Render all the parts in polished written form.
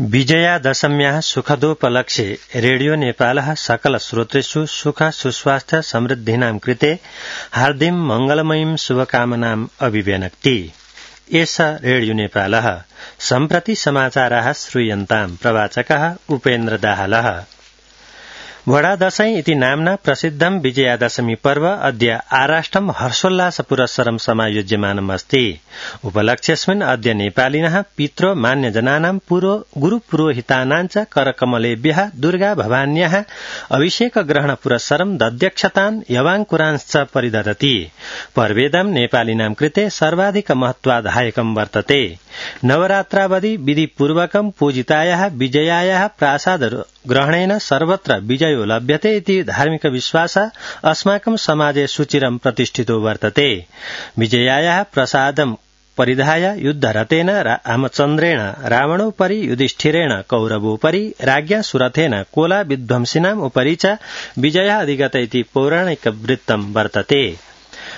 विजयादशम्याः सुखदोपलक्ष्ये radio नेपालः सकल श्रोतृषु सुख सुस्वास्थ्य समृद्धीनां कृते हार्दिं मंगलमयीं शुभकामनाम् अभिव्यनक्ति। एष रेडियो नेपालः सम्प्रति समाचाराः श्रूयन्ताम्। प्रवाचकः उपेन्द्र दाहालः। वडादशैं इति नाम्ना प्रसिद्धं विजयादशमी पर्व अद्य आराष्ट्रं हर्षोल्लासपुरस्सरं समायोज्यमानम् अस्ति। उपलक्ष्यस्मिन् अद्य नेपालिनः पितृ मान्यजनानां गुरुपुरोहितानां च करकमलेभ्यः दुर्गा भवान्याः अभिषेक ग्रहण पुरस्सरं दध्यक्षतान् यवाङ्कुरांश्च परिदधति। पर्वेदं नेपालिनां कृते सर्वाधिक महत्वाधायकं वर्तते। नवरात्रावधि विधिपूर्वकं पूजितायाः विजयायाः प्रासाद ग्रहणेन सर्वत्र विजयो लभ्यते इति धार्मिक विश्वासः अस्माकं समाजे सुचिरं प्रतिष्ठितो वर्तते। विजयायाः प्रसादं परिधाय युद्धरतेन रामचन्द्रेण रावणोपरि युधिष्ठिरेण कौरवोपरि राज्ञा सुरथेन कोला विध्वंसिनाम् उपरि च विजयः अधिगत इति पौराणिकवृत्तं वर्तते।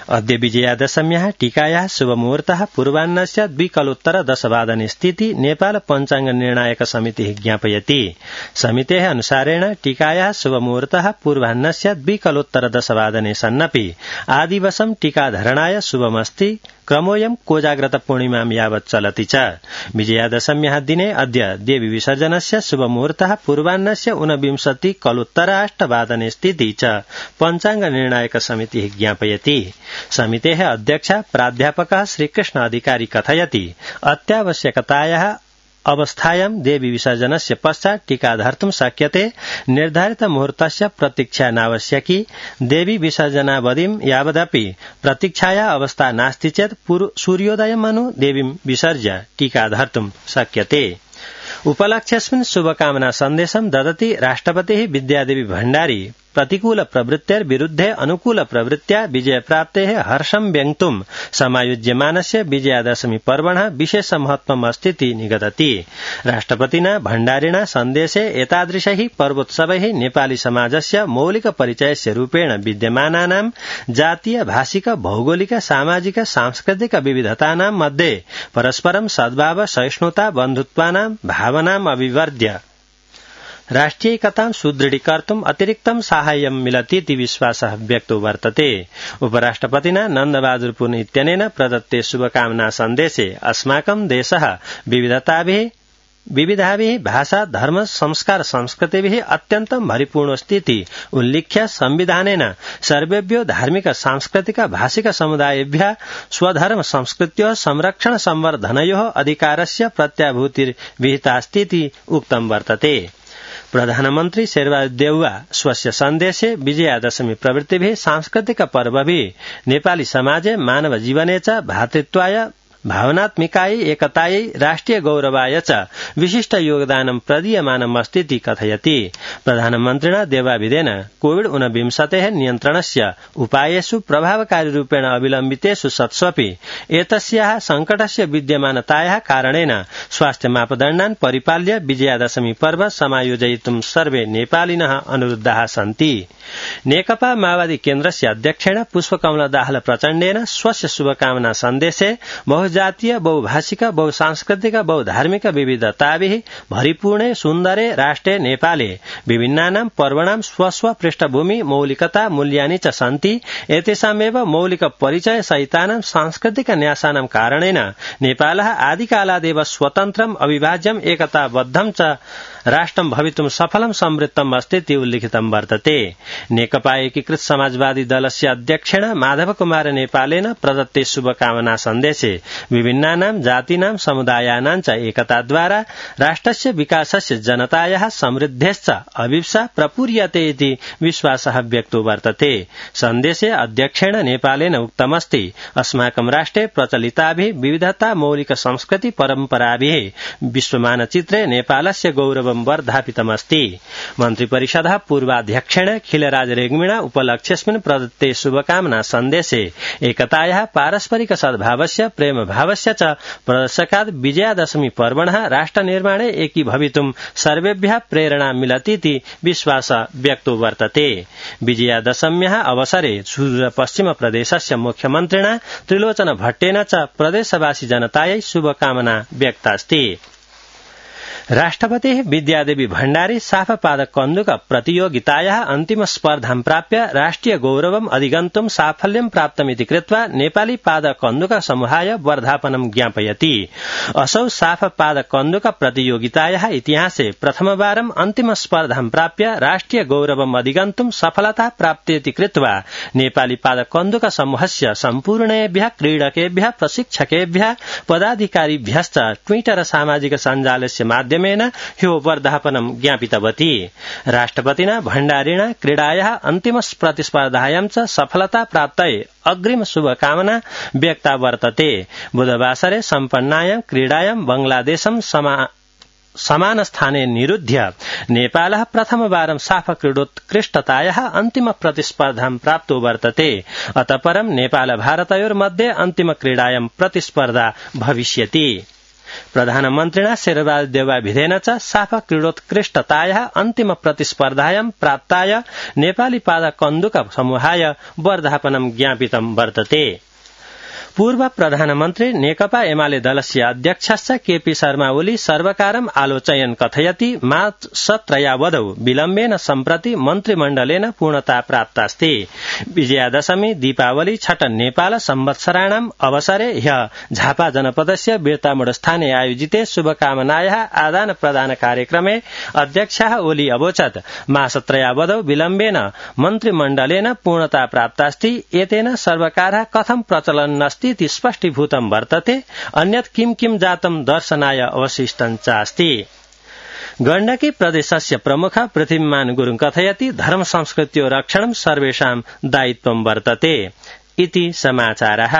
अद्य विजयादशम्याः टीकायाः शुभमुहूर्तः पूर्वाह्नस्य 2:10 स्थिति नेपाल पञ्चाङ्ग निर्णायक समितिः ज्ञापयति। समितेः अनुसारेण टीकायाः शुभमुहूर्तः पूर्वाह्नस्य 2:10 सन्नपि आदिवसं टीकाधरणाय शुभमस्ति। क्रमोऽयं कोजाग्रत पूर्णिमां यावत् चलति च। विजयादशम्याः दिने अद्य देवी विसर्जनस्य शुभमुहूर्तः पूर्वाह्नस्य 29:08 स्थिति च पञ्चाङ्ग निर्णायक समितिः ज्ञापयति। समितेः अध्यक्ष प्राध्यापकः श्रीकृष्ण अधिकारी कथयति अत्यावश्यकतायाः अवस्थायां देवी विसर्जनस्य पश्चात् टीका धर्तुं शक्यते। निर्धारित मुहूर्तस्य प्रतीक्षा नावश्यकी। देवी विसर्जनावधिं यावदपि प्रतीक्षाया अवस्था नास्ति चेत् सूर्योदयमनु देवीं विसर्ज्य टीका धर्तुं शक्यते। उपलक्ष्यस्मिन् शुभकामना सन्देशं ददति राष्ट्रपतिः विद्यादेवी भण्डारी। प्रतिकूल प्रवृत्तेर्विरुद्धे अनुकूल प्रवृत्त्या विजयप्राप्तेः हर्षं व्यङ्क्तुं समायोज्यमानस्य विजयादशमी पर्वणः विशेष महत्वम् अस्तीति निगदति। राष्ट्रपतिना भण्डारिणा सन्देशे एतादृशैः पर्वोत्सवैः नेपाली समाजस्य मौलिक परिचयस्य रूपेण विद्यमानानां जातीय भाषिक भौगोलिक सामाजिक सांस्कृतिक विविधतानां मध्ये परस्परं सद्भाव सहिष्णुता बन्धुत्वानां भावनाम् अभिवर्ध्य राष्ट्रियैकतां सुदृढीकर्तुम् अतिरिक्तं साहाय्यं मिलतीति विश्वासः व्यक्तो वर्तते। उपराष्ट्रपतिना नन्दबहादुर पुन इत्यनेन प्रदत्ते शुभकामना सन्देशे अस्माकं देशः विविधाभिः भाषा धर्म संस्कार संस्कृतिभिः अत्यन्तं भरिपूर्णोऽस्तीति उल्लिख्य संविधानेन सर्वेभ्यो धार्मिक सांस्कृतिक भाषिक समुदायेभ्यः स्वधर्म संस्कृत्योः संरक्षण संवर्धनयोः अधिकारस्य प्रत्याभूतिर्विहितास्तीति उक्तं वर्तते। प्रधानमन्त्री शेरबहादुर देउवा स्वस्य सन्देशे विजयादशमी प्रवृत्तिभिः सांस्कृतिक पर्वभिः नेपाली समाजे मानव जीवने च भातृत्वाय भावनात्मिकायै एकतायै राष्ट्रिय गौरवाय च विशिष्ट योगदानं प्रदीयमानम् अस्तीति कथयति। प्रधानमन्त्रिणा देवाविदेन कोविड-19 नियन्त्रणस्य उपायेषु प्रभावकारी रूपेण अवलम्बितेषु सत्स्वपि एतस्याः संकटस्य विद्यमानतायाः कारणेन स्वास्थ्य मापदण्डान् परिपाल्य विजयादशमी पर्व समायोजयितुं सर्वे नेपालिनः अनुरुद्धाः सन्ति। नेकपा माओवादी केन्द्रस्य अध्यक्षेण पुष्पकमल दाहाल प्रचण्डेन स्वस्य शुभकामना सन्देशे बहुजातीय बहुभाषिक बहुसांस्कृतिक बहुधार्मिक विविधताभिः भरिपूर्णे सुन्दरे राष्ट्रे नेपाले विभिन्नानां पर्वणां स्वस्व पृष्ठभूमि मौलिकता मूल्यानि च सन्ति। एतेषामेव मौलिक परिचय सहितानां सांस्कृतिक न्यासानां कारणेन नेपालः आदिकालादेव स्वतन्त्रम् अविभाज्यम् एकताबद्धं च राष्ट्रं भवितुं सफलं समृद्धम् अस्तीति उल्लिखितं वर्तते। नेकपा एकीकृत समाजवादी दलस्य अध्यक्षेण माधव कुमार नेपालेन प्रदत्ते शुभकामना सन्देशे विभिन्नानां जातीनां समुदायानां च एकताद्वारा राष्ट्रस्य विकासस्य जनतायाः समृद्धेश्च अभिप्सा प्रपूर्यते इति विश्वासः व्यक्तो वर्तते। सन्देशे अध्यक्षेण नेपालेन उक्तमस्ति अस्माकं राष्ट्रे प्रचलिताभिः विविधता मौलिक संस्कृति परम्पराभिः विश्वमानचित्रे नेपालस्य गौरवं वर्धापितमस्ति। मन्त्रिपरिषदः पूर्वाध्यक्षेण खिलराज रेग्मिणा उपलक्ष्यस्मिन् प्रदत्ते शुभकामना सन्देशे एकतायाः पारस्परिक सद्भावस्य प्रेम भावस्य च प्रदर्शकात् विजयादशमी पर्वणः राष्ट्रनिर्माणे एकीभवितुं सर्वेभ्यः प्रेरणा मिलतीति विश्वासः व्यक्तो वर्तते। विजयादशम्याः अवसरे सुदूरपश्चिम प्रदेशस्य मुख्यमन्त्रिणा त्रिलोचन भट्टेन च प्रदेशवासी जनतायै शुभकामना व्यक्तास्ति। राष्ट्रपतिः विद्यादेवी भण्डारी साफपादक कन्दुक प्रतियोगितायाः अन्तिम स्पर्धां प्राप्य राष्ट्रिय गौरवम् अधिगन्तुं साफल्यं प्राप्तमिति कृत्वा नेपाली पादक कन्दुक समूहाय वर्धापनं ज्ञापयति। असौ साफपादक कन्दुक प्रतियोगितायाः इतिहासे प्रथमवारं अन्तिम स्पर्धां प्राप्य राष्ट्रिय गौरवम् अधिगन्तुं सफलता प्राप्तेति कृत्वा नेपाली पादक कन्दुक समूहस्य सम्पूर्णेभ्यः क्रीडकेभ्यः प्रशिक्षकेभ्यः पदाधिकारिभ्यश्च ट्विटर सामाजिक सञ्जालस्य माध्यमेन ह्यो वर्धापनं ज्ञापितवती। राष्ट्रपतिना भण्डारिणा क्रीडायाः अन्तिम प्रतिस्पर्धायां च सफलता प्राप्तये अग्रिम शुभकामना व्यक्ता वर्तते। बुधवासरे सम्पन्नायां क्रीडायां बांग्लादेशं समानस्थाने निरुध्य नेपालः प्रथमवारं साफ क्रीडोत्कृष्टतायाः अन्तिम प्रतिस्पर्धां प्राप्तो वर्तते। अतः परं नेपाल भारतयोर्मध्ये अन्तिम क्रीडायां प्रतिस्पर्धा भविष्यति। प्रधानमन्त्रिणा शेरबहादुर देउवाभिधेन च साफ क्रीडोत्कृष्टतायाः अन्तिम प्रतिस्पर्धायां प्राप्ताय नेपाली पादक कन्दुक समूहाय वर्धापनं ज्ञापितं वर्तते। पूर्व प्रधानमन्त्री नेकपा एमाले दलस्य अध्यक्षश्च केपी शर्मा ओली सर्वकारम् आलोचयन् कथयति मासत्रयावधौ विलम्बेन सम्प्रति मन्त्रिमण्डलेन पूर्णता प्राप्तास्ति। विजयादशमी दीपावली छठ नेपाल संवत्सराणाम् अवसरे ह्यः झापा जनपदस्य बिर्तामोडस्थाने आयोजिते शुभकामनायाः आदान प्रदान कार्यक्रमे अध्यक्षः ओली अवोचत् मासत्रयावधौ विलम्बेन मन्त्रिमण्डलेन पूर्णता प्राप्तास्ति। एतेन सर्वकारः कथं प्रचलन्नस्ति इति स्पष्टीभूतं वर्तते। अन्यत् किं किं जातं दर्शनाय अवशिष्टं चास्ति। गण्डकी प्रदेशस्य प्रमुख पृथ्वीमान गुरुङ कथयति धर्म संस्कृत्यो रक्षणं सर्वेषां दायित्वं वर्तते इति समाचारः।